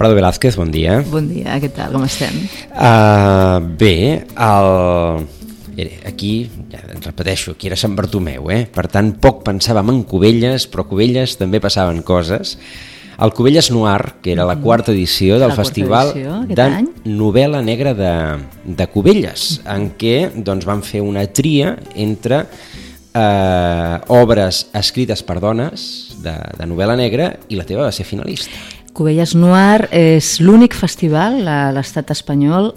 Prado Velázquez, bon dia. Bon dia, què tal, com estem? Bé, aquí, ja ens repeteixo, aquí era Sant Bartomeu, per tant poc pensàvem en Cubelles, però a Cubelles també passaven coses. El Cubelles Noir, que era la quarta edició del Festival de Novel·la Negra de Cubelles, en què doncs, van fer una tria entre obres escrites per dones de novel·la negra i la teva va ser finalista. Cubelles Noir és l'únic festival a l'estat espanyol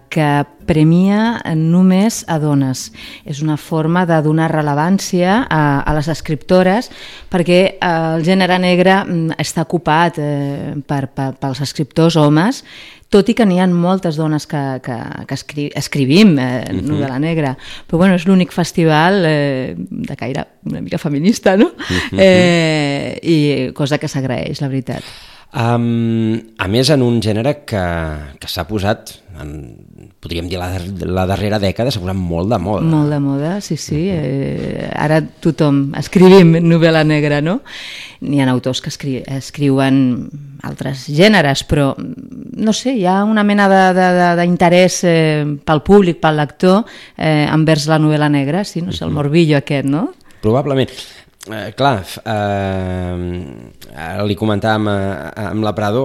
que premia només a dones. És una forma de donar rellevància a les escriptores perquè el gènere negre està ocupat pels escriptors homes, tot i que n'hi ha moltes dones que escrivim novel·la negra. Però bueno, és l'únic festival de caire una mica feminista, no? I cosa que s'agraeix, la veritat. A més, en un gènere que s'ha posat, podríem dir la darrera dècada, s'ha posat molt de moda. Molt de moda, sí. Ara tothom escrivim novel·la negra, no? N'hi ha autors que escriuen altres gèneres, però no sé, hi ha una mena d'interès pel públic, pel lector, envers la novel·la negra, sí, no sé, el morbillo aquest, no? Probablement. Clar, li comentàvem amb la Prado,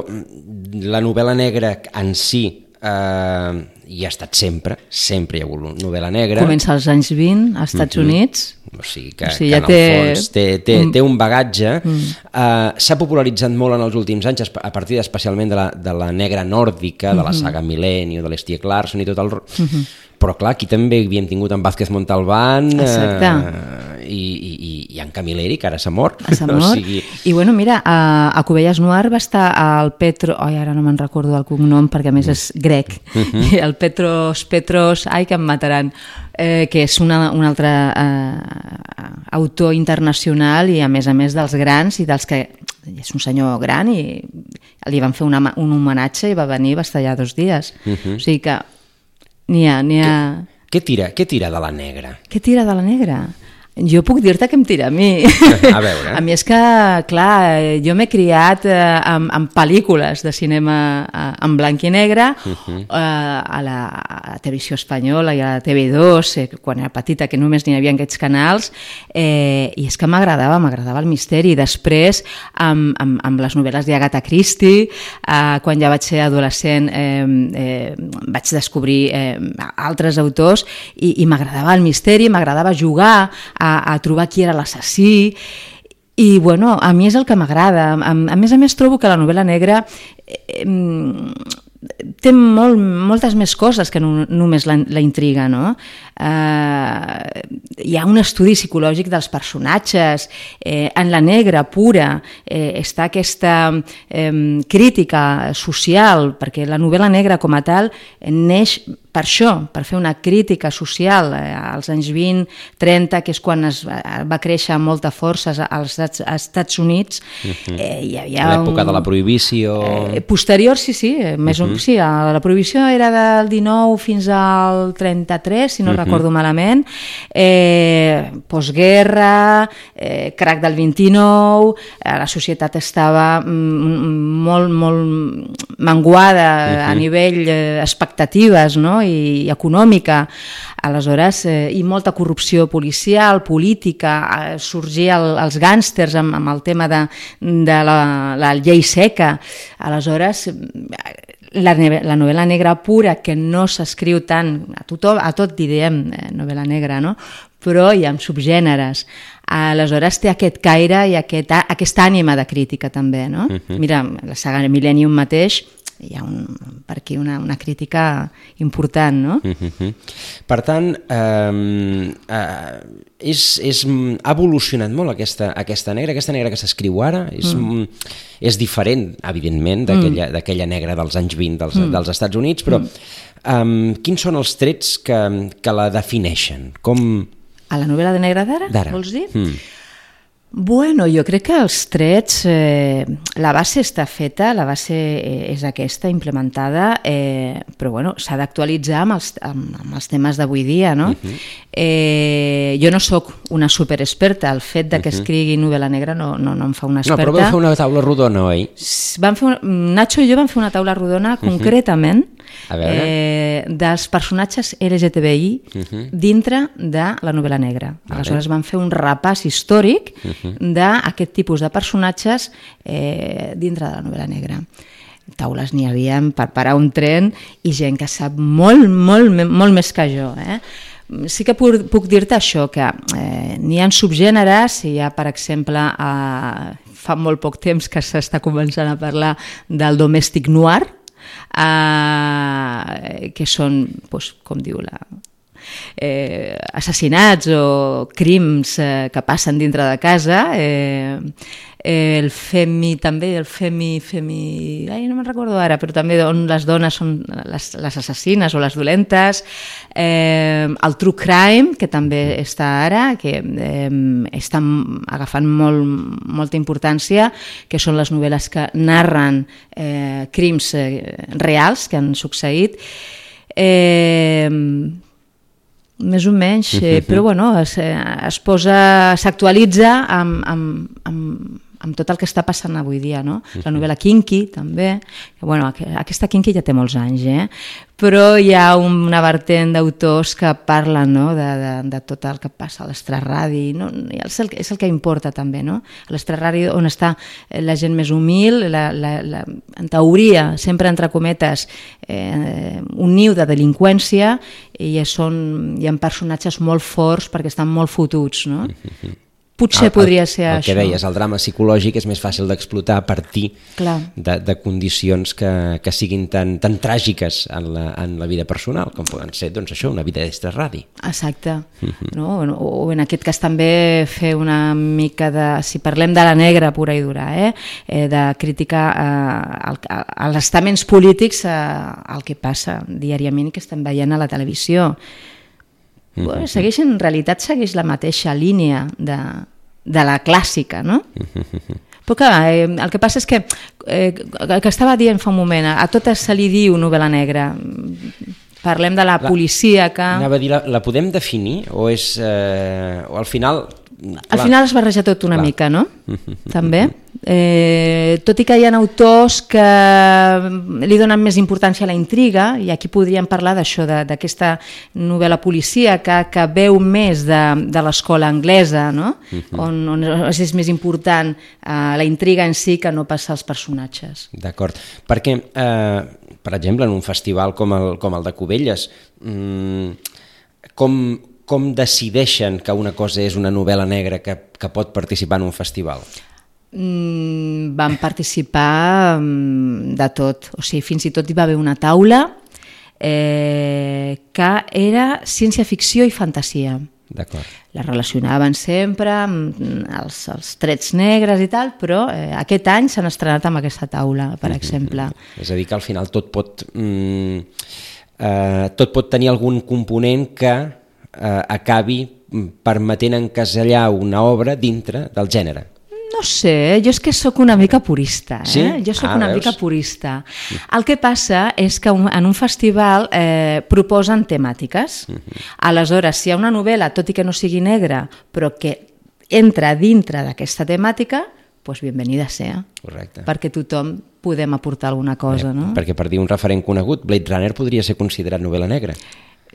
la novel·la negra en si hi ha estat sempre hi ha hagut novel·la negra. Comença als anys 20 als Estats Units. O sigui que ja en el fons té un bagatge. S'ha popularitzat molt en els últims anys a partir especialment de la negra nòrdica, de la saga Millennium, de l'Stieg Larsson i tot el... Però clar, aquí també havíem tingut en Vázquez Montalbán i en Camilleri, que ara s'ha mort. I bueno, mira, a Cubelles Noir va estar el Petro... ara no me'n recordo el cognom perquè a més és grec. El Petros, ai que em mataran, que és un altre autor internacional i a més dels grans i dels que... És un senyor gran i li van fer un homenatge i va venir i va estar allà 2 dies. O sigui que n'hi ha... Què tira de la negra? Què tira de la negra? Jo puc dir-te què em tira a mi. A veure. A mi és que, clar, jo m'he criat amb pel·lícules de cinema en blanc i negre, a la televisió espanyola i a la TV2, quan era petita, que només n'hi havia aquests canals, i és que m'agradava el misteri. Després, amb les novel·les d'Agatha Christie, quan ja vaig ser adolescent, vaig descobrir altres autors i m'agradava el misteri, m'agradava jugar a trobar qui era l'assassí i bueno, a mi és el que m'agrada. A més trobo que la novel·la negra té moltes més coses que només la intriga, no? Hi ha un estudi psicològic dels personatges, en la negra pura està aquesta crítica social, perquè la novel·la negra com a tal neix per això, per fer una crítica social als anys 20-30, que és quan es va créixer amb molta força als Estats Units. L'època de la prohibició... Posterior, sí. La prohibició era del 19 fins al 33, si no recordo malament. Postguerra, crac del 29, la societat estava molt menguada a nivell expectatives, no? I econòmica, aleshores, i molta corrupció policial, política, sorgia els gàngsters amb el tema de la llei seca. Aleshores, la novel·la negra pura, que no s'escriu tant, a tot direm novel·la negra, no? Però hi ha subgèneres. Aleshores té aquest caire i aquesta ànima de crítica també, no? Mira, la saga Millennium mateix, hi ha per aquí una crítica important, no? Per tant, ha evolucionat molt aquesta negra que s'escriu ara, és diferent, evidentment, d'aquella negra dels anys 20 dels Estats Units, però quins són els trets que la defineixen? A la novel·la de negra d'ara, vols dir? Bueno, jo crec que els trets, la base està feta, la base és aquesta, implementada, però bueno, s'ha d'actualitzar amb els temes d'avui dia, no? Jo no sóc una superexperta, el fet de que escrigui novel·la negra no em fa una experta. No, però vau fer una taula rodona, oi? Nacho i jo vam fer una taula rodona concretament dels personatges LGTBI dintre de la novel·la negra. Aleshores vam fer un repàs històric d'aquest tipus de personatges dintre de la novel·la negra. Taules n'hi havia per parar un tren i gent que sap molt més que jo. Sí que puc dir-te això, que n'hi ha subgèneres, hi ha, per exemple, fa molt poc temps que s'està començant a parlar del domestic noir, que són, com diu assassinats o crims que passen dintre de casa, el femi també, no me'n recordo ara, però també on les dones són les assassines o les dolentes, el true crime, que també està ara, que està agafant molta importància, que són les novel·les que narren crims reals que han succeït, més o menys, però bueno, s'actualitza amb tot el que està passant avui dia, no? La novel·la kinky, també, que bueno, aquesta kinky ja té molts anys, però hi ha una vertent d'autors que parlen, no?, de tot el que passa a l'extraradi, no? És el que importa també, no? A l'extraradi on està la gent més humil, en teoria, sempre entre cometes, un niu de delinqüència, i hi ha personatges molt forts perquè estan molt fotuts, no? Potser podria ser això. El que deies, el drama psicològic és més fàcil d'explotar a partir de condicions que siguin tan tràgiques en la vida personal, com poden ser, doncs això, una vida d'extraradi. Exacte. O en aquest cas també fer una mica de, si parlem de la negra pura i dura, de crítica als estaments polítics, al que passa diàriament i que estem veient a la televisió. En realitat segueix la mateixa línia de la clàssica, no? Però clar, el que passa és que el que estava dient fa un moment, a totes se li diu novel·la negra. Parlem de la policia que... Anava a dir, la podem definir o és... o al final... Al final es barreja tot una mica, no? També. Tot i que hi ha autors que li donen més importància a la intriga, i aquí podríem parlar d'això, d'aquesta novel·la policíaca que veu més de l'escola anglesa, no? On és més important la intriga en si que no pas els personatges. D'acord, perquè, per exemple, en un festival com el de Cubelles, com decideixen que una cosa és una novel·la negra que pot participar en un festival? Van participar de tot, o sigui, fins i tot hi va haver una taula que era ciència-ficció i fantasia. D'acord. La relacionaven sempre amb els trets negres i tal, però aquest any s'han estrenat amb aquesta taula, per exemple. És a dir, que al final tot pot tenir algun component que acabi permetent encasellar una obra dintre del gènere. No sé, jo és que sóc una mica purista. Sí? Jo sóc una mica purista. El que passa és que en un festival proposen temàtiques. Aleshores, si hi ha una novel·la, tot i que no sigui negra, però que entra dintre d'aquesta temàtica, doncs benvenida sea. Correcte. Perquè tothom podem aportar alguna cosa, no? Perquè per dir un referent conegut, Blade Runner podria ser considerat novel·la negra.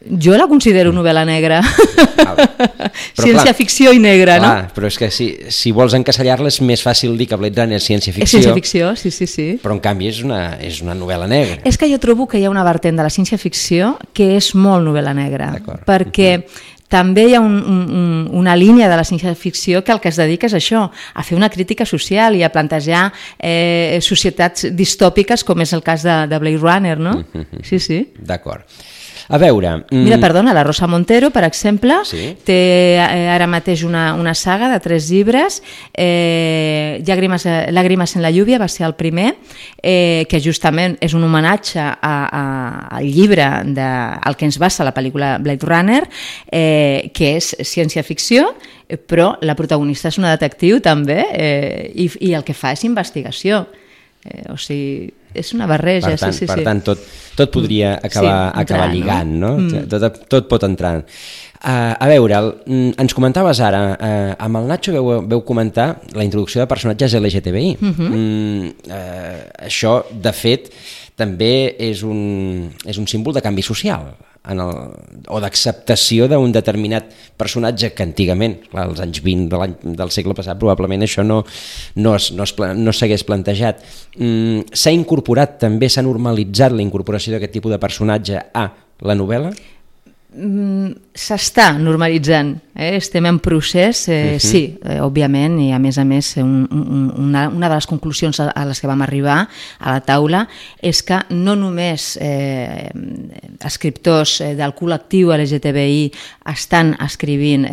Jo la considero novel·la negra. Ciència-ficció i negra, no? Però és que si vols encasellar-la és més fàcil dir que Blade Runner és ciència-ficció. És ciència-ficció, sí. Però en canvi és una novel·la negra. És que jo trobo que hi ha una vertent de la ciència-ficció que és molt novel·la negra. Perquè també hi ha una línia de la ciència-ficció que el que es dedica és això, a fer una crítica social i a plantejar societats distòpiques, com és el cas de Blade Runner, no? Sí. D'acord. A veure... Mira, perdona, la Rosa Montero, per exemple, té ara mateix una saga de 3 llibres. Llàgrimes en la lluvia va ser el primer, que justament és un homenatge al llibre al que ens basa la pel·lícula Blade Runner, que és ciència-ficció, però la protagonista és una detectiu també, i el que fa és investigació. O sigui, és una barreja. Per tant, tot podria acabar lligant, no? Tot pot entrar. A veure, ens comentaves ara, amb el Nacho veu comentar la introducció de personatges LGTBI. Això, de fet, també és un símbol de canvi social, o d'acceptació d'un determinat personatge que antigament, als anys 20 del segle passat, probablement això no s'hagués plantejat. S'ha incorporat també, s'ha normalitzat la incorporació d'aquest tipus de personatge a la novel·la? S'està normalitzant, estem en procés, sí, òbviament, i a més una de les conclusions a les que vam arribar a la taula és que no només escriptors del col·lectiu LGTBI estan escrivint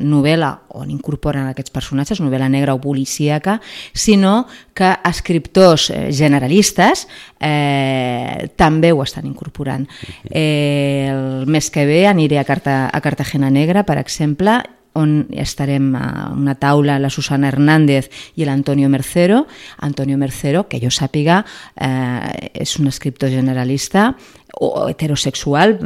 novel·la on incorporen aquests personatges, novel·la negra o policíaca, sinó que escriptors generalistes també ho estan incorporant. El mes que ve aniré a Cartagena Negra, per exemple, on estarem a una taula la Susana Hernández i l'Antonio Mercero. Antonio Mercero, que jo sàpiga, és un escriptor generalista o heterosexual,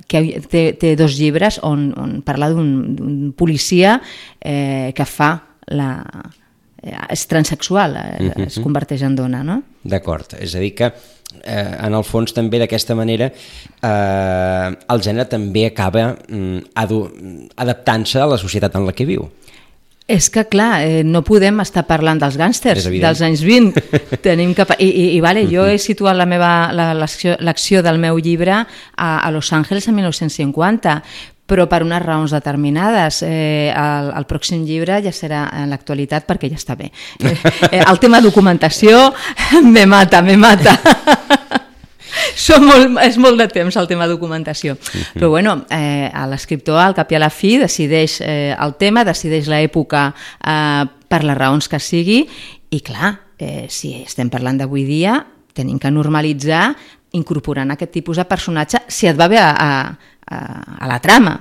que té 2 llibres on parla d'un policia que és transexual, es converteix en dona, no? D'acord, és a dir que en el fons també d'aquesta manera el gènere també acaba adaptant-se a la societat en la que viu. És que, clar, no podem estar parlant dels gàngsters dels anys 20. Jo he situat l'acció del meu llibre a Los Angeles en 1950, però per unes raons determinades. El pròxim llibre ja serà en l'actualitat perquè ja està bé. El tema documentació me mata. És molt de temps el tema documentació. Però bueno, l'escriptor al cap i a la fi decideix el tema, decideix l'època per les raons que sigui, i clar, si estem parlant d'avui dia, tenim que normalitzar incorporant aquest tipus de personatge si et va bé a la trama.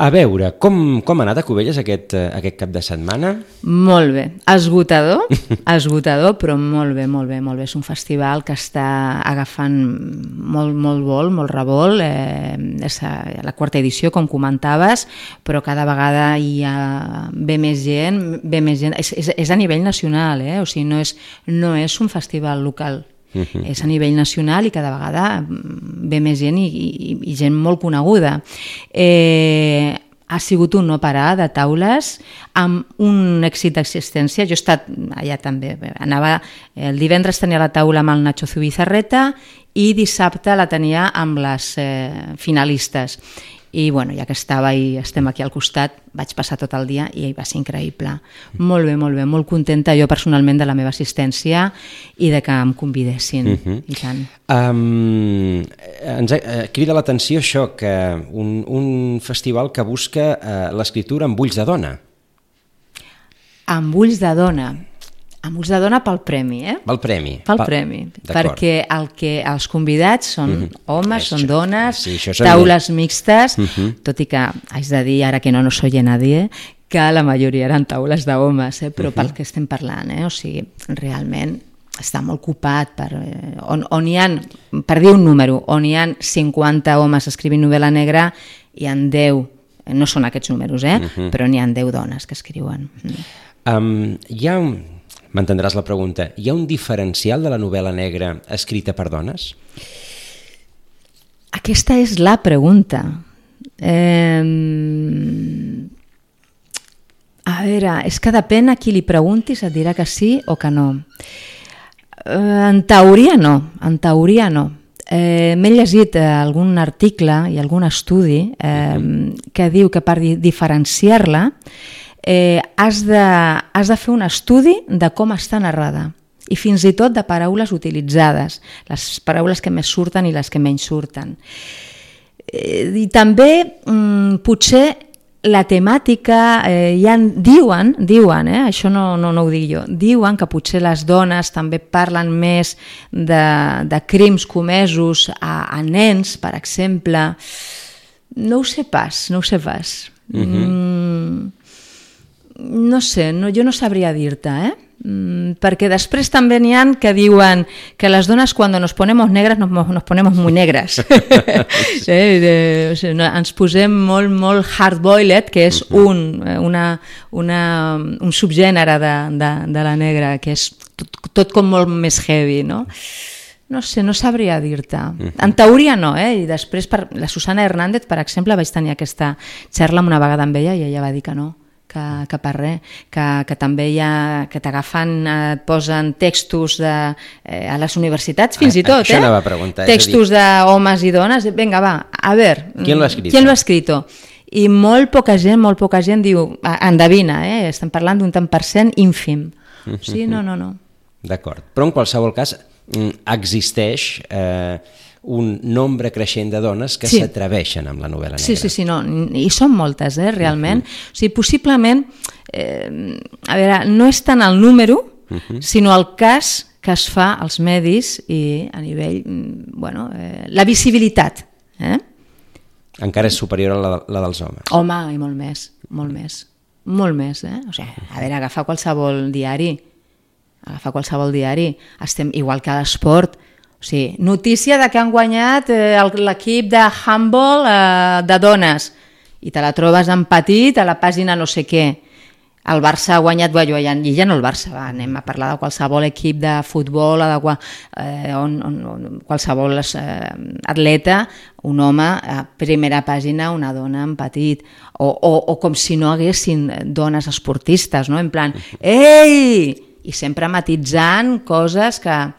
A veure, com ha anat a Cubelles aquest cap de setmana? Molt bé, esgotador, però molt bé. És un festival que està agafant molt vol, molt revolt. És la 4ª edició, com comentaves, però cada vegada hi ve més gent. És a nivell nacional, o sigui, no és un festival local. És a nivell nacional i cada vegada ve més gent i gent molt coneguda. Ha sigut un no parar de taules amb un èxit d'existència. Jo he estat allà també. El divendres tenia la taula amb el Nacho Zubizarreta i dissabte la tenia amb les finalistes. I bueno, ja que estava i estem aquí al costat, vaig passar tot el dia i va ser increïble. Molt bé, molt contenta jo personalment de la meva assistència i de que em convidessin. I tant. Ens crida l'atenció això, que un festival que busca l'escriptura amb ulls de dona. Amb ulls de dona. Amb ulls de dona pel premi, Pel premi. Pel premi, perquè els convidats són homes, són dones, taules mixtes, tot i que haig de dir, ara que no soy nadie, que la majoria eren taules d'homes, però pel que estem parlant, o sigui, realment està molt ocupat, on hi ha, per dir un número, on hi ha 50 homes escrivint novel·la negra, hi ha 10, no són aquests números, però n'hi ha 10 dones que escriuen. Hi ha m'entendràs la pregunta, hi ha un diferencial de la novel·la negra escrita per dones? Aquesta és la pregunta. A veure, és que depèn a qui li preguntis, et dirà que sí o que no. En teoria no. M'he llegit algun article i algun estudi que diu que per diferenciar-la has de fer un estudi de com està narrada i fins i tot de paraules utilitzades, les paraules que més surten i les que menys surten. I també potser la temàtica, diuen, això no ho dic jo, diuen que potser les dones també parlen més de crims comesos a nens, per exemple. No ho sé pas. No sé, jo no sabria dir-te, perquè després també n'hi ha que diuen que les dones quan nos ponemos negras nos ponemos muy negras. Ens posem molt hard-boiled, que és un subgènere de la negra, que és tot com molt més heavy, no? No sé, no sabria dir-te. En teoria no, i després la Susana Hernández, per exemple, vaig tenir aquesta xerra una vegada amb ella i ella va dir que no, que per res, que també hi ha, que t'agafen, et posen textos a les universitats, fins i tot, això anava a preguntar, textos d'homes i dones, vinga, va, a veure, ¿quién lo ha escrito? I molt poca gent diu, endevina, estem parlant d'un tant per cent ínfim. Sí, no. D'acord, però en qualsevol cas existeix un nombre creixent de dones que s'atreveixen amb la novel·la negra. Sí, no, i són moltes, realment. O sigui, possiblement, a veure, no és tant el número, sinó el cas que es fa als medis i a nivell, la visibilitat. Encara és superior a la dels homes. Home, i molt més. O sigui, a veure, agafar qualsevol diari, estem igual que a l'esport. O sigui, notícia de que han guanyat l'equip de handball de dones i te la trobes en petit a la pàgina no sé què. El Barça ha guanyat, i ja no el Barça, anem a parlar de qualsevol equip de futbol, qualsevol atleta, un home, a primera pàgina, una dona en petit, o com si no haguessin dones esportistes, no? En plan, ei! I sempre matitzant coses que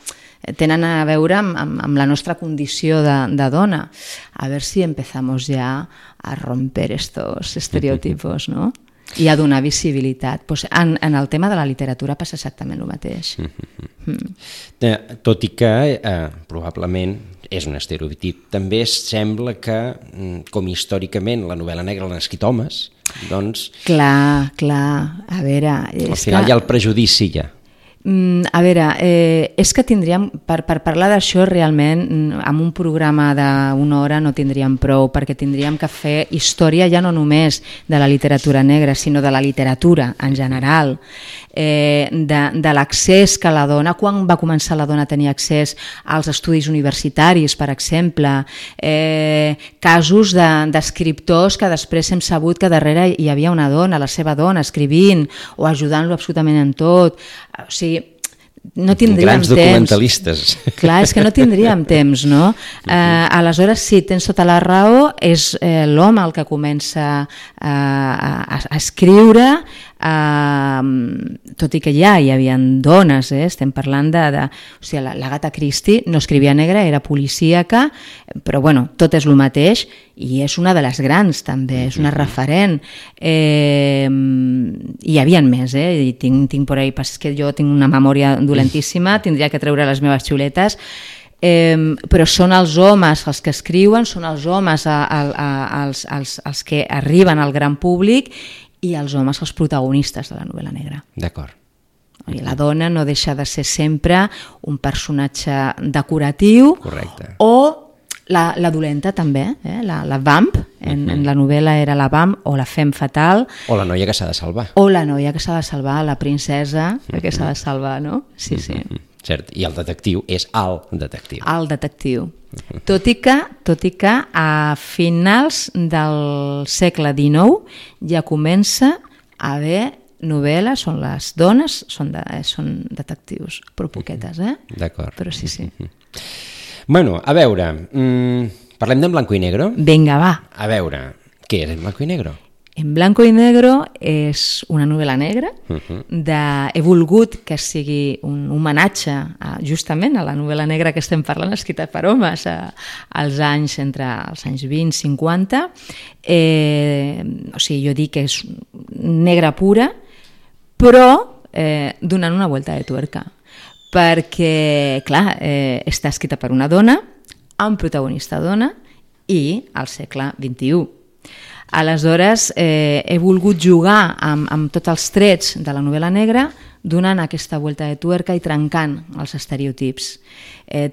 tenen a veure amb la nostra condició de dona. A veure si empezamos ja a romper estos estereotipos, no? I a donar visibilitat. Pues en el tema de la literatura passa exactament el mateix. Tot i que probablement és un estereotip, també sembla que, com històricament la novel·la negra l'han escrit homes, doncs... Clar, a veure... Al final hi ha el prejudici ja. A veure, és que tindríem, per parlar d'això realment, amb un programa d'una hora no tindríem prou, perquè tindríem que fer història ja no només de la literatura negra, sinó de la literatura en general, de l'accés que la dona, quan va començar la dona a tenir accés als estudis universitaris, per exemple, casos d'escriptors que després hem sabut que darrere hi havia una dona, la seva dona, escrivint o ajudant-lo absolutament en tot. O sigui, no tindríem grans documentalistes. Clar, és que no tindríem temps, no? Aleshores, sí, tens tota la raó, és l'home el que comença a escriure, tot i que ja hi havia dones, estem parlant o sigui, l'Agatha Christie no escrivia negra, era policíaca, però bueno, tot és el mateix, i és una de les grans també, és una referent. Hi havia més, i tinc per ahí, és que jo tinc una memòria dolentíssima, tindria que treure les meves xuletes, però són els homes els que escriuen, són els homes els que arriben al gran públic i els homes els protagonistes de la novel·la negra. D'acord. La dona no deixa de ser sempre un personatge decoratiu. Correcte. O la dolenta també, la vamp, en la novel·la era la vamp o la femme fatal. O la noia que s'ha de salvar. O la noia que s'ha de salvar, la princesa que s'ha de salvar, no? Sí. Cert, i el detectiu és el detectiu. El detectiu. Tot i que a finals del segle XIX ja comença a haver novel·les on les dones són detectius, però poquetes, D'acord. Però sí. Bueno, a veure, parlem d'en blanco i negro? Vinga, va. A veure, què és en blanco i negro? En blanco i negro és una novel·la negra. He volgut que sigui un homenatge justament a la novel·la negra que estem parlant, escrita per homes entre els anys 20-50. O sigui, jo dic que és negra pura, però donant una volta de tuerca. perquè, clar, està escrita per una dona, amb protagonista dona i al segle XXI. Aleshores, he volgut jugar amb tots els trets de la novel·la negra, donant aquesta vuelta de tuerca i trencant els estereotips.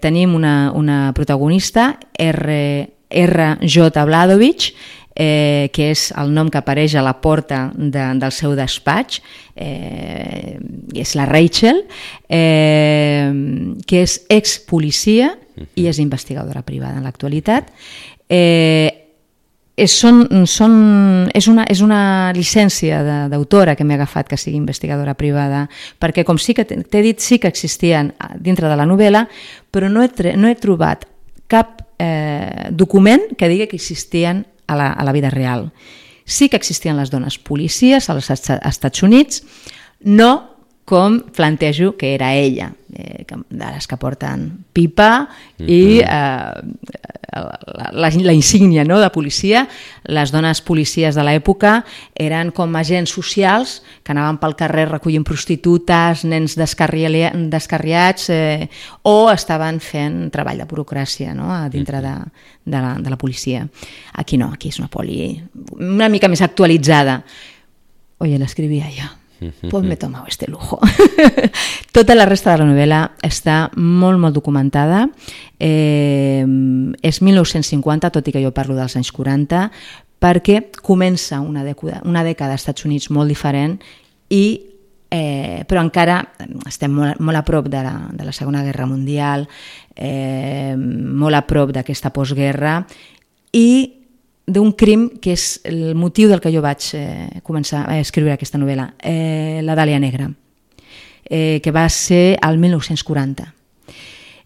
Tenim una protagonista, R.J. Bladovich, que és el nom que apareix a la porta del seu despatx, és la Rachel, que és ex-policia i és investigadora privada en l'actualitat. És una llicència d'autora que m'he agafat que sigui investigadora privada, perquè com sí que t'he dit, sí que existien dintre de la novel·la, però no he trobat cap document que digui que existien a la vida real. Sí que existien les dones policies als Estats Units, no com plantejo que era ella, de les que porten pipa i la insígnia de policia. Les dones policies de l'època eren com agents socials que anaven pel carrer recollint prostitutes, nens descarriats, o estaven fent treball de burocràcia dintre de la policia. Aquí no, aquí és una poli una mica més actualitzada. Oye, l'escrivia jo. Pues me he tomado este lujo. Tota la resta de la novel·la està molt, molt documentada. És 1950, tot i que jo parlo dels anys 40, perquè comença una dècada als Estats Units molt diferent, però encara estem molt a prop de la Segona Guerra Mundial, molt a prop d'aquesta postguerra, i d'un crim que és el motiu del que jo vaig començar a escriure aquesta novel·la, la Dàlia Negra, que va ser el 1940.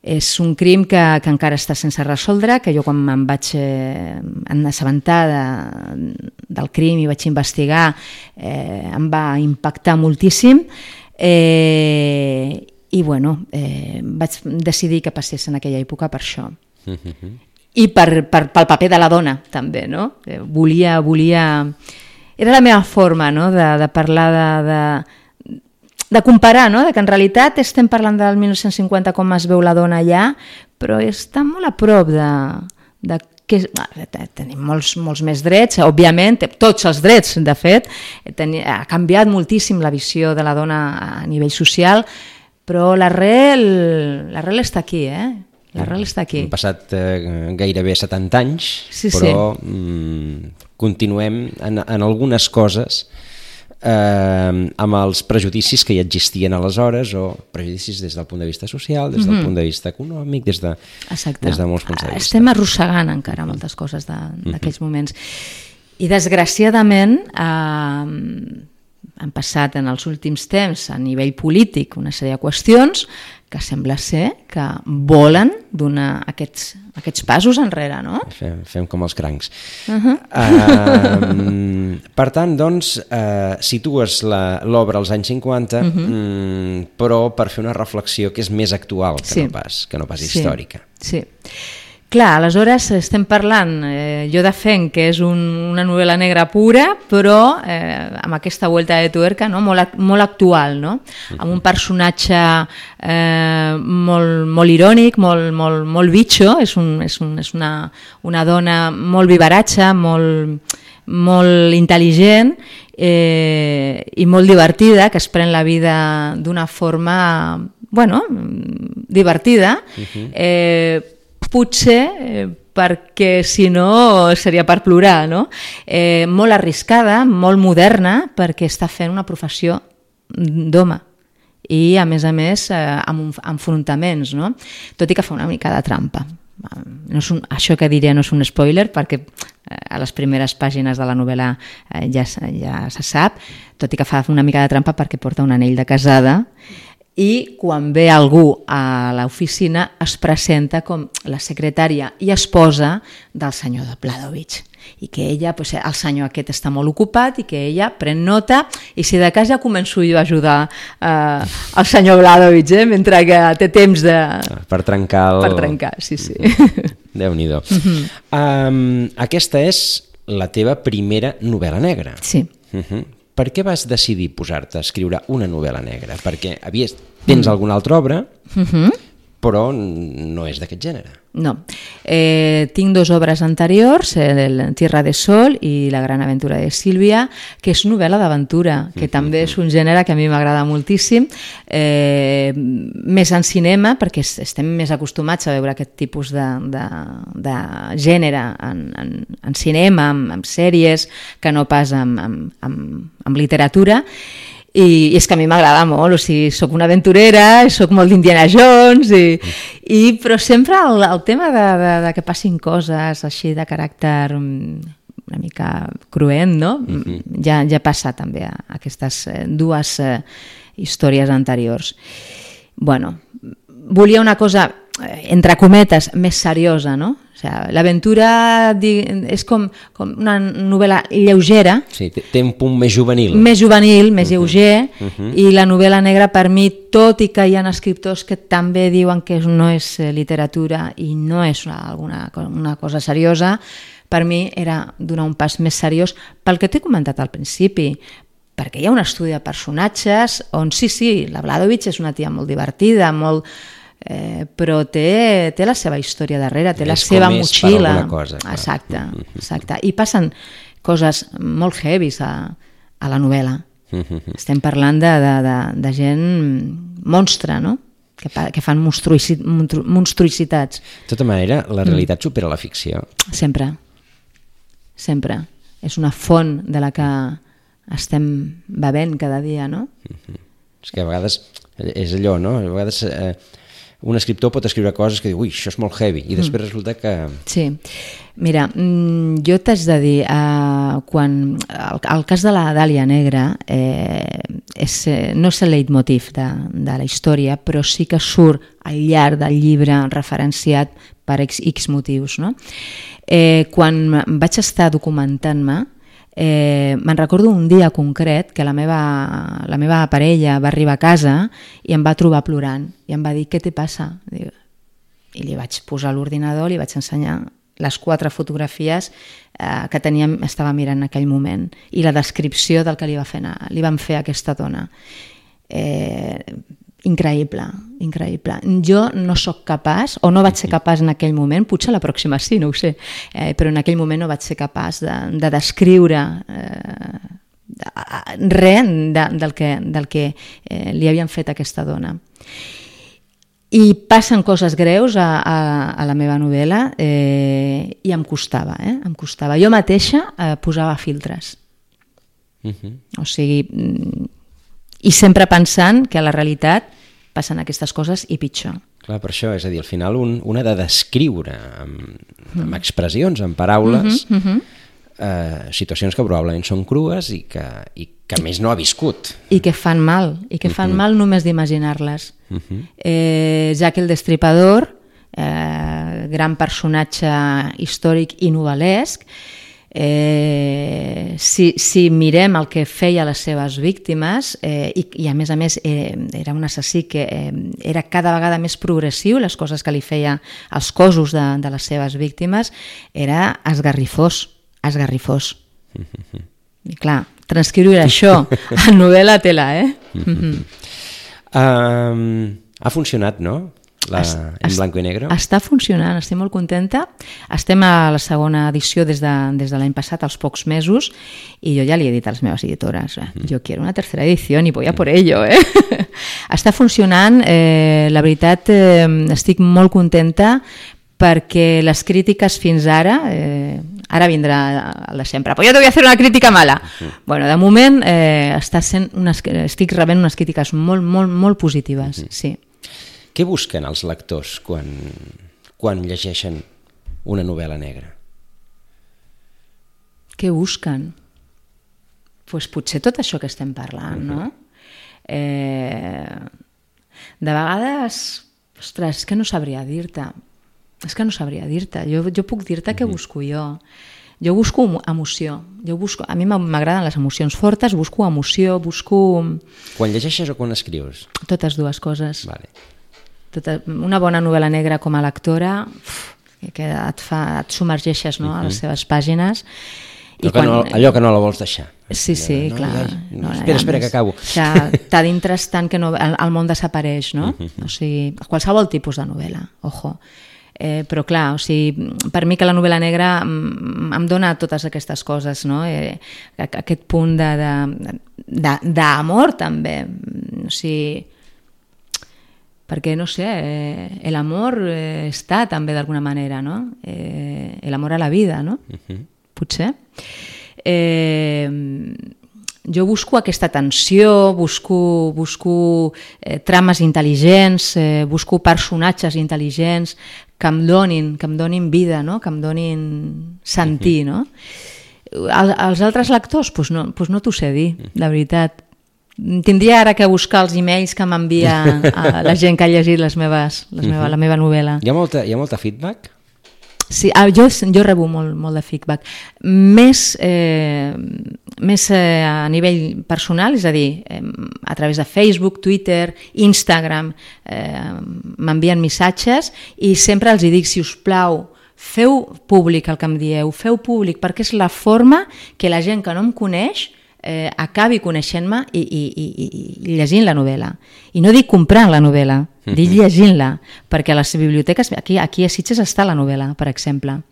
És un crim que encara està sense resoldre, que jo quan em vaig assabentar del crim i vaig investigar em va impactar moltíssim, i vaig decidir que passés en aquella època per això. I pel paper de la dona, també, no? Volia... Era la meva forma, no?, de parlar, de comparar, no?, que en realitat estem parlant del 1950 com es veu la dona allà, però està molt a prop de que tenim molts més drets, òbviament, tots els drets, de fet, ha canviat moltíssim la visió de la dona a nivell social, però l'arrel està aquí, L'arrel està aquí. Han passat gairebé 70 anys, però continuem en algunes coses amb els prejudicis que hi existien aleshores, o prejudicis des del punt de vista social, des del punt de vista econòmic, des de molts punts de vista. Estem arrossegant encara moltes coses d'aquells moments. I desgraciadament han passat en els últims temps a nivell polític una sèrie de qüestions que sembla ser que volen donar aquests passos enrere, no? Fem com els crancs. Per tant, doncs, situes l'obra als anys 50, però per fer una reflexió que és més actual que no pas històrica. Sí. Clar, aleshores estem parlant, jo defenc que és una novel·la negra pura, però amb aquesta vuelta de tuerca, no? Molt actual, no? Amb un personatge molt irònic, molt bitxo, és una dona molt vivaratxa, molt intel·ligent i molt divertida, que es pren la vida d'una forma, divertida, potser perquè si no seria per plorar, no? Molt arriscada, molt moderna, perquè està fent una professió d'home i a més amb enfrontaments, no? Tot i que fa una mica de trampa. Això que diré no és un spoiler, perquè a les primeres pàgines de la novel·la ja se sap, tot i que fa una mica de trampa perquè porta un anell de casada, i quan ve algú a l'oficina es presenta com la secretària i esposa del senyor de Bladovich, i que ella, el senyor aquest està molt ocupat i que ella pren nota, i si de cas ja començo jo a ajudar el senyor Bladovich, mentre que té temps per trencar, sí. Déu-n'hi-do. Aquesta és la teva primera novel·la negra. Sí. per què vas decidir posar-te a escriure una novel·la negra? Perquè tens alguna altra obra, però no és d'aquest gènere. No. Tinc 2 obres anteriors, Tierra de Sol i La gran aventura de Sílvia, que és novel·la d'aventura, que també és un gènere que a mi m'agrada moltíssim, més en cinema, perquè estem més acostumats a veure aquest tipus de gènere en cinema, en sèries, que no pas en literatura. I és que a mi m'agrada molt, o sigui, soc una aventurera, soc molt d'Indiana Jones, però sempre el tema de que passin coses així de caràcter una mica cruent, no? Ja passa també a aquestes 2 històries anteriors. Bueno, volia una cosa, entre cometes, més seriosa, no? L'aventura és com una novel·la lleugera. Sí, té un punt més juvenil. Més juvenil, més lleuger, i la novel·la negra per mi, tot i que hi ha escriptors que també diuen que no és literatura i no és una cosa seriosa, per mi era donar un pas més seriós pel que t'he comentat al principi, perquè hi ha un estudi de personatges on sí, la Vladovich és una tia molt divertida, molt... però té la seva història darrere, té la seva motxilla. Exacte. I passen coses molt heavies a la novel·la. Estem parlant de gent monstre, no? Que fan monstruïcitats. De tota manera, la realitat supera la ficció. Sempre. És una font de la que estem bevent cada dia, no? És que a vegades és allò, no? A vegades... un escriptor pot escriure coses que diu, ui, això és molt heavy, i després resulta que... Sí, mira, jo t'haig de dir, el cas de la Dàlia Negra no és el leitmotiv de la història, però sí que surt al llarg del llibre referenciat per X motius, no? Quan vaig estar documentant-me, me'n recordo un dia concret que la meva parella va arribar a casa i em va trobar plorant i em va dir, què te passa? I li vaig posar l'ordinador, li vaig ensenyar les 4 fotografies que estava mirant en aquell moment i la descripció del que li van fer a aquesta dona. Increïble. Jo no sóc capaç, o no vaig ser capaç en aquell moment, potser la pròxima sí, no ho sé, però en aquell moment no vaig ser capaç de descriure res del que li havien fet a aquesta dona. I passen coses greus a la meva novel·la i em costava. Jo mateixa posava filtres. O sigui... I sempre pensant que a la realitat passen aquestes coses i pitjor. Clar, per això, és a dir, al final un ha de descriure amb expressions, amb paraules, situacions que probablement són crues i que a més no ha viscut. I que fan mal, mal només d'imaginar-les. Jack el Destripador, gran personatge històric i novel·lesc, si mirem el que feia les seves víctimes i a més era un assassí que era cada vegada més progressiu, les coses que li feia als cossos de les seves víctimes, era esgarrifós. I clar, transcriure això en novel·la tela, Ha funcionat, no? En blanc i negre? Està funcionant, estic molt contenta. Estem a la segona edició des de l'any passat, als pocs mesos, i jo ja li he dit a les meves editores, jo quiero una tercera edició i voy a por ello. Està funcionant, la veritat, estic molt contenta perquè les crítiques fins ara, ara vindrà el de sempre, però jo te voy a hacer una crítica mala. Bueno, de moment estic rebent unes crítiques molt positives, sí. Què busquen els lectors quan llegeixen una novel·la negra? Què busquen? Doncs potser tot això que estem parlant, no? De vegades, ostres, és que no sabria dir-te. Jo puc dir-te què busco jo. Jo busco emoció. A mi m'agraden les emocions fortes, busco emoció, Quan llegeixes o quan escrius? Totes dues coses. Vale. Una bona novel·la negra com a lectora que et submergeixes, no, a les seves pàgines, Allò que no la vols deixar. Sí, clar. Espera, que acabo. T'ha d'interès tant que el món desapareix, no? O sigui, qualsevol tipus de novel·la, ojo. Però clar, o sigui, per mi que la novel·la negra em dona totes aquestes coses, no? Aquest punt d'amor també, o sigui, perquè no sé, l'amor està també d'alguna manera, no? L'amor a la vida, no? Potser. Jo busco aquesta tensió, busco trames intel·ligents, busco personatges intel·ligents que em donin vida, no? Que em donin sentir, no? Els altres lectors, doncs no t'ho sé dir, de veritat. Tindria ara que buscar els e-mails que m'envia la gent que ha llegit la meva novel·la. Hi ha molta feedback? Sí, jo rebo molt de feedback. Més a nivell personal, és a dir, a través de Facebook, Twitter, Instagram, m'envien missatges i sempre els dic, si us plau, feu públic el que em dieu, feu públic, perquè és la forma que la gent que no em coneix acabi coneixent-me i llegint la novel·la. I no dic comprant la novel·la, dic llegint-la, perquè a les biblioteques, aquí a Sitges està la novel·la, per exemple,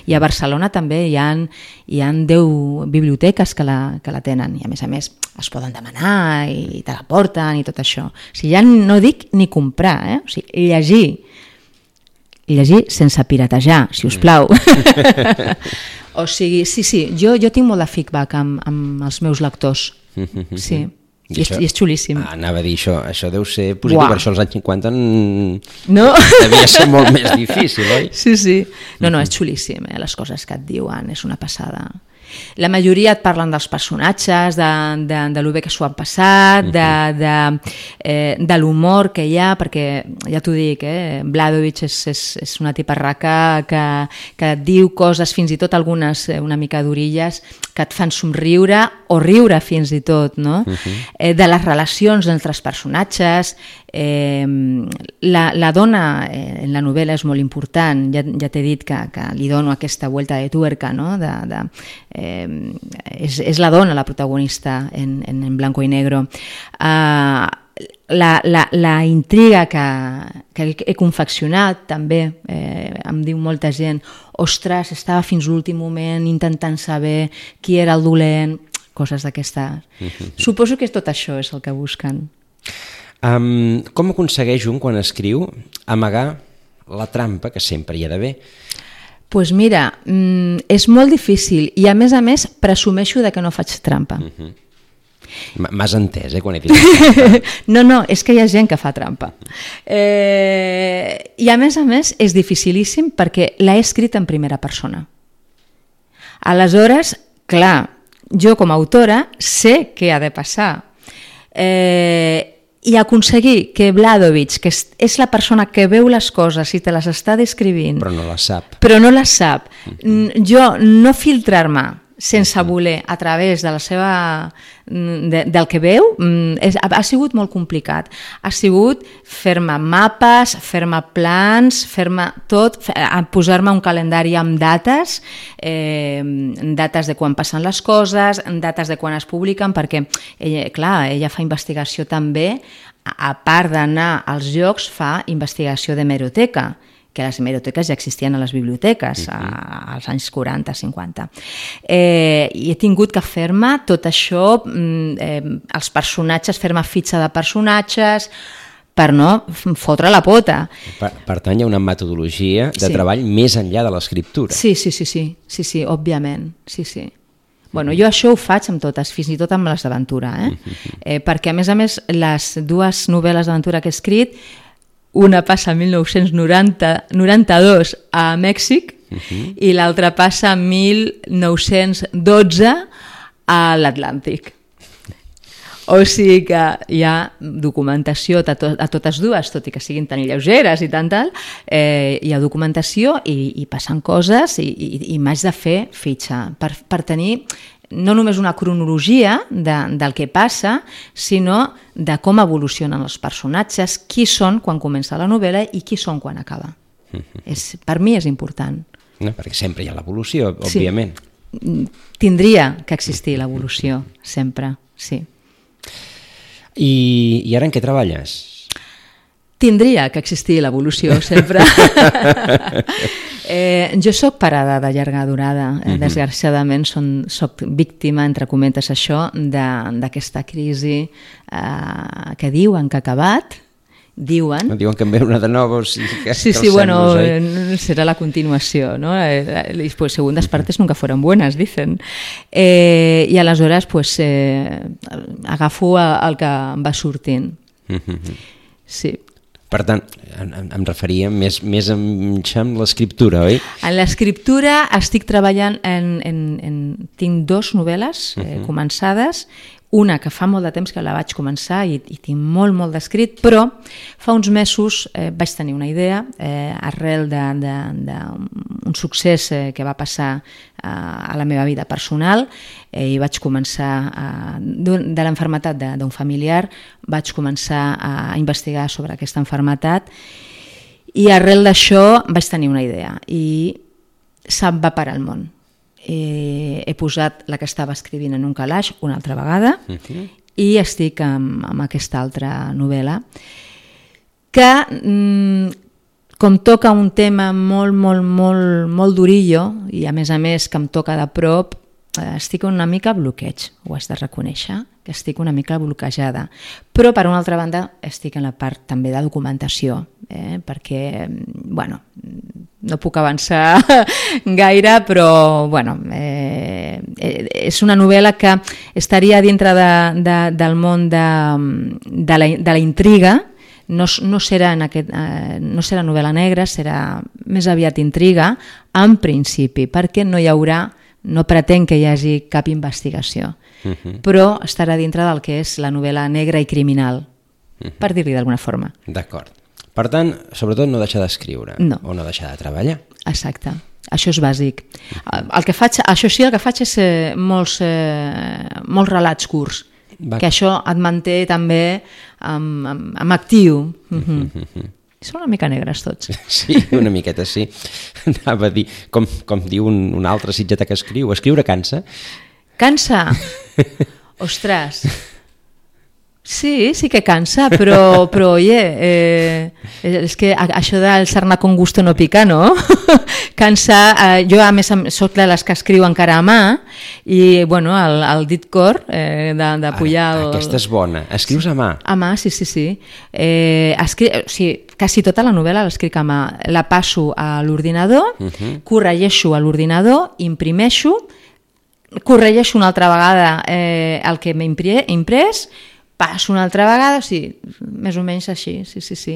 i a Barcelona també hi ha 10 biblioteques que la tenen, i a més es poden demanar i te la porten i tot això. O sigui, ja no dic ni comprar, o sigui, llegir sense piratejar, si us plau. O sigui, sí, jo tinc molt de feedback amb els meus lectors, sí, i és xulíssim. Anava a dir això deu ser positiu, per això als anys 50 devia ser molt més difícil, oi? Sí, no, és xulíssim, les coses que et diuen, és una passada. La majoria et parlen dels personatges, de lo bé que s'ho han passat, de l'humor que hi ha, perquè ja t'ho dic, Vladovic és una tiparraca que et diu coses, fins i tot algunes una mica d'orilles, que et fan somriure o riure fins i tot, no? De les relacions entre els personatges. La dona en la novel·la és molt important, ja t'he dit que li dono aquesta vuelta de tuerca, no? És la dona la protagonista en blanco i negro. La intriga que he confeccionat també, em diu molta gent, ostres, estava fins l'últim moment intentant saber qui era el dolent, coses d'aquestes. Suposo que tot això és el que busquen. Com aconsegueix un, quan escriu, amagar la trampa, que sempre hi ha d'haver? Doncs mira, és molt difícil i a més presumeixo que no faig trampa. M'has entès, quan he dit trampa? No, és que hi ha gent que fa trampa. I a més és dificilíssim perquè l'he escrit en primera persona. Aleshores, clar, jo com a autora sé què ha de passar. I aconseguir que Vladovic, que és la persona que veu les coses i te les està descrivint... Però no les sap. Jo no filtrar-me sense voler a través de la seva, del que veu, ha sigut molt complicat. Ha sigut fer-me mapes, fer-me plans, fer-me tot, posar-me un calendari amb dates, dates de quan passen les coses, dates de quan es publiquen, perquè, clar, ella fa investigació també, a part d'anar als llocs, fa investigació d'hemeroteca, que les hemeroteques ja existien a les biblioteques als anys 40-50. I he tingut que fer-me tot això, els personatges, fer-me fitxa de personatges, per no fotre la pota. Per tant, hi ha una metodologia de treball més enllà de l'escriptura. Sí, òbviament, sí. Bueno, jo això ho faig amb totes, fins i tot amb les d'aventura, perquè a més les dues novel·les d'aventura que he escrit, una passa a 1992 a Mèxic i l'altra passa a 1912 a l'Atlàntic. O sigui que hi ha documentació a totes dues, tot i que siguin tan lleugeres i tal, hi ha documentació i passen coses i m'haig de fer fitxa per tenir no només una cronologia del que passa, sinó de com evolucionen els personatges, qui són quan comença la novel·la i qui són quan acaba. Per mi és important. No, perquè sempre hi ha l'evolució, òbviament. tindria que existir l'evolució, sempre, sí. I ara en què treballes? Tindria que existir l'evolució, sempre. Jo soc parada de llarga durada. Desgraciadament soc víctima, entre cometes això, d'aquesta crisi que diuen que ha acabat. Diuen que en ve una de nova, o sigui que... Sí, bueno, será la continuació, ¿no? Pues segundas partes nunca fueron buenas, dicen. I aleshores, pues, agafo el que em va sortint. Sí. Per tant, em referia més amb l'escriptura, oi? En l'escriptura estic treballant tinc 2 novel·les començades, una que fa molt de temps que la vaig començar i tinc molt d'escrit, però fa uns mesos vaig tenir una idea arrel d'un succés que va passar a la meva vida personal i vaig començar, de l'enfermetat d'un familiar, vaig començar a investigar sobre aquesta enfermetat i arrel d'això vaig tenir una idea i se'm va parar el món. He posat la que estava escrivint en un calaix una altra vegada i estic amb aquesta altra novel·la que com toca un tema molt durillo i a més que em toca de prop, estic una mica bloqueig, ho has de reconèixer, que estic una mica bloquejada. Però, per una altra banda, estic en la part també de documentació, perquè, bueno, no puc avançar gaire, però, bueno, és una novel·la que estaria dintre del món de la intriga. No serà novel·la negra, serà més aviat intriga, en principi, perquè no pretenc que hi hagi cap investigació, però estarà dintre del que és la novel·la negra i criminal, per dir-li d'alguna forma. D'acord. Per tant, sobretot no deixar d'escriure o no deixar de treballar. Exacte. Això és bàsic. Això sí, el que faig és molts relats curts, que això et manté també amb actiu. Són una mica negres tots. Sí, una miqueta sí. Anava a dir, com diu un altre sitgetà que escriure cansa. Cansa? Ostres... Sí que cansa, però oye, és que això del sarna con gusto no pica, no? Cansa, jo a més soc de les que escriu encara a mà i bueno, el dit cor de pujar... Aquesta és bona, escrius a mà? A mà, sí. Quasi tota la novel·la l'escric a mà, la passo a l'ordinador, corregeixo a l'ordinador, imprimeixo, corregeixo una altra vegada el que m'he imprès, passo una altra vegada, més o menys així, sí.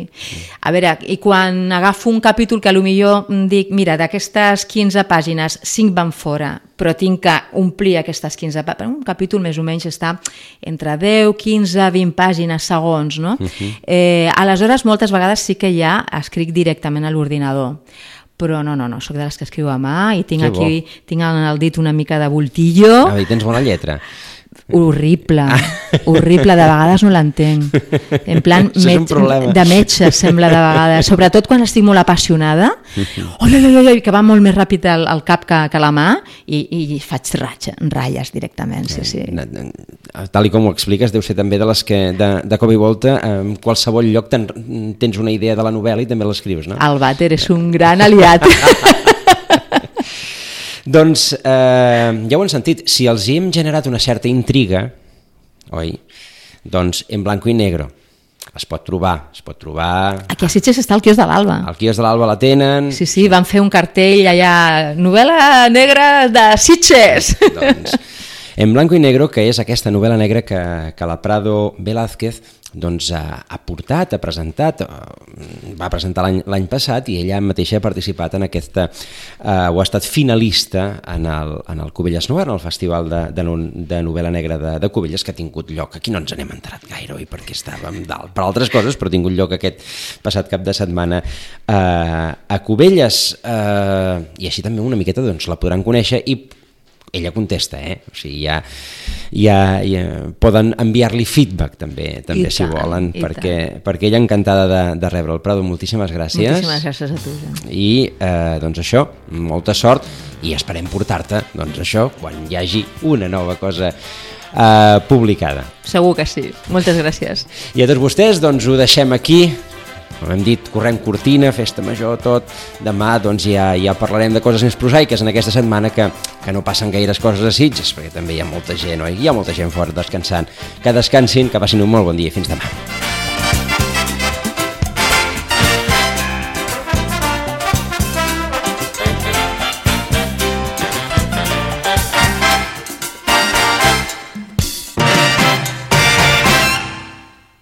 A veure, i quan agafo un capítol que potser dic, mira, d'aquestes 15 pàgines, 5 van fora, però tinc que omplir aquestes 15 pàgines, un capítol més o menys està entre 10, 15, 20 pàgines, segons, no? Aleshores, moltes vegades sí que ja escric directament a l'ordinador, però no, soc de les que escriu a mà i tinc tinc el dit una mica de voltillo. I tens bona lletra. Horrible, de vegades no l'entenc, en plan de metge sembla de vegades, sobretot quan estic molt apassionada, que va molt més ràpid el cap que la mà i faig ratlles directament, sí. Tal com ho expliques, deu ser també de les que de cop i volta en qualsevol lloc tens una idea de la novel·la i també l'escrius, no? El vàter és un gran aliat. Doncs ja ho hem sentit, si els hi hem generat una certa intriga, oi? Doncs en blanco i negro es pot trobar. Aquí a Sitges està el quiosc de l'Alba. Al quiosc de l'Alba la tenen. Sí, van fer un cartell allà, novel·la negra de Sitges. Doncs en blanco i negro, que és aquesta novel·la negra que la Prado Velázquez ha portat, ha presentat, va presentar l'any passat i ella mateixa ha participat en aquesta, o ha estat finalista en el Cubelles Noir, en el Festival de Novel·la Negra de Cubelles, que ha tingut lloc, aquí no ens n'hem enterat gaire, oi, perquè estàvem dalt per altres coses, però ha tingut lloc aquest passat cap de setmana a Cubelles, i així també una miqueta la podran conèixer i ella contesta, o sigui, ja poden enviar-li feedback també si volen, perquè ella encantada de rebre el Prado. Moltíssimes gràcies. Moltíssimes gràcies a tu, Jan. I doncs això, molta sort, i esperem portar-te, doncs això, quan hi hagi una nova cosa publicada. Segur que sí. Moltes gràcies. I a tots vostès, doncs ho deixem aquí. Com hem dit, correm cortina, festa major, tot. Demà doncs ja parlarem de coses més prosaiques en aquesta setmana que no passen gaires coses a Sitges, perquè també hi ha molta gent, oi? Hi ha molta gent fora descansant. Que descansin, que passin un molt bon dia. Fins demà.